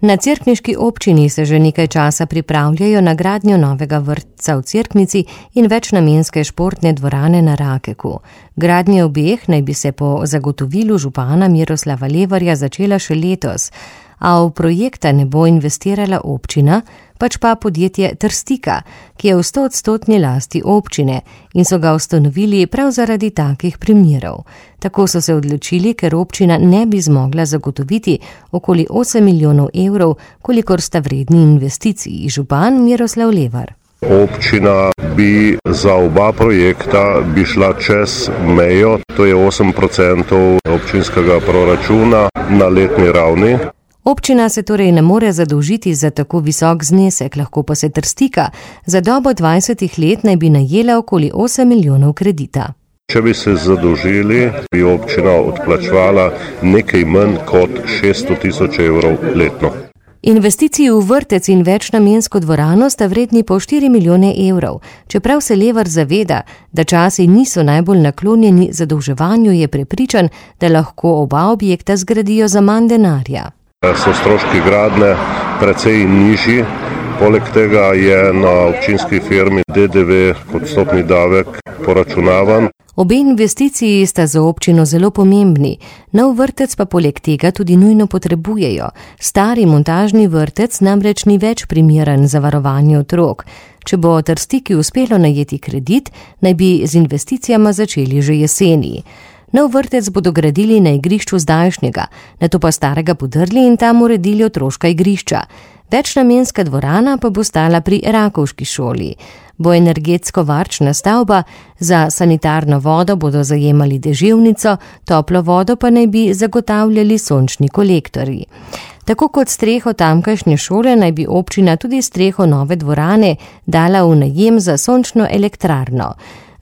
Na cerkniški občini se že nekaj časa pripravljajo na gradnjo novega vrtca v Cerknici in večnamenske športne dvorane na Rakeku. Gradnja obeh naj bi se po zagotovilu župana Miroslava Levarja začela še letos, a v projekta ne bo investirala občina, pač pa podjetje Trstika, ki je v 100% lasti občine in so ga ustanovili prav zaradi takih primerov. Tako so se odločili, ker občina ne bi zmogla zagotoviti okoli 8 milijonov evrov, kolikor sta vredni investiciji, župan Miroslav Levar. Občina bi za oba projekta bi šla čez mejo, to je 8% občinskega proračuna na letni ravni. Občina se torej ne more zadolžiti za tako visok znesek, lahko pa se Trstika za dobo 20 let naj bi najela okoli 8 milijonov kredita. Če bi se zadolžili, bi občina odplačevala nekaj manj kot 600 tisoč evrov letno. Investiciji v vrtec in večnamensko dvorano sta vredni po 4 milijone evrov. Čeprav se Levar zaveda, da časi niso najbolj naklonjeni zadolževanju, je prepričan, da lahko oba objekta zgradijo za manj denarja. So stroški gradnje precej nižji, poleg tega je na občinski firmi DDV kot stopni davek poračunavan. Obe investiciji sta za občino zelo pomembni, nov vrtec pa poleg tega tudi nujno potrebujejo. Stari montažni vrtec namreč ni več primeren za varovanje otrok. Če bo Trstiki uspelo najeti kredit, naj bi z investicijama začeli že jeseni. Nov vrtec bodo gradili na igrišču zdajšnjega, nato pa starega podrli in tam uredili otroška igrišča. Večnamenska dvorana pa bo stala pri Rakovški šoli. Bo energetsko varčna stavba, za sanitarno vodo bodo zajemali deževnico, toplo vodo pa naj bi zagotavljali sončni kolektorji. Tako kot streho tamkajšnje šole naj bi občina tudi streho nove dvorane dala v najem za sončno elektrarno.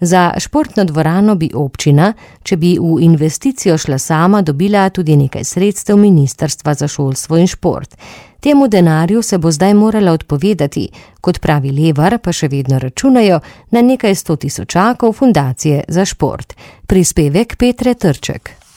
Za športno dvorano bi občina, če bi v investicijo šla sama, dobila tudi nekaj sredstev Ministrstva za šolstvo in šport. Temu denarju se bo zdaj morala odpovedati, kot pravi Levar, pa še vedno računajo na nekaj 100 tisočakov fundacije za šport. Prispevek Petre Trček.